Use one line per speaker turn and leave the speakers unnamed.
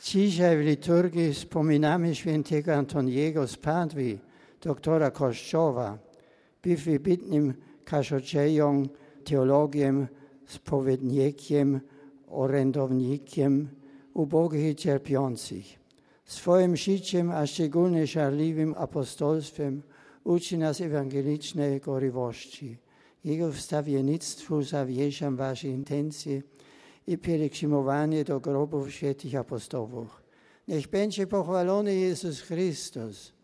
Dzisiaj w liturgii wspominamy świętego Antoniego z Padwy, doktora Kościoła. Był wybitnym kaznodzieją, teologiem, spowiednikiem, orędownikiem ubogich i cierpiących. Swoim życiem, a szczególnie żarliwym apostolstwem uczy nas ewangelicznej gorliwości. Jego wstawiennictwu zawierzam wasze intencje i pielgrzymowanie do grobów świętych apostołów. Niech będzie pochwalony Jezus Chrystus.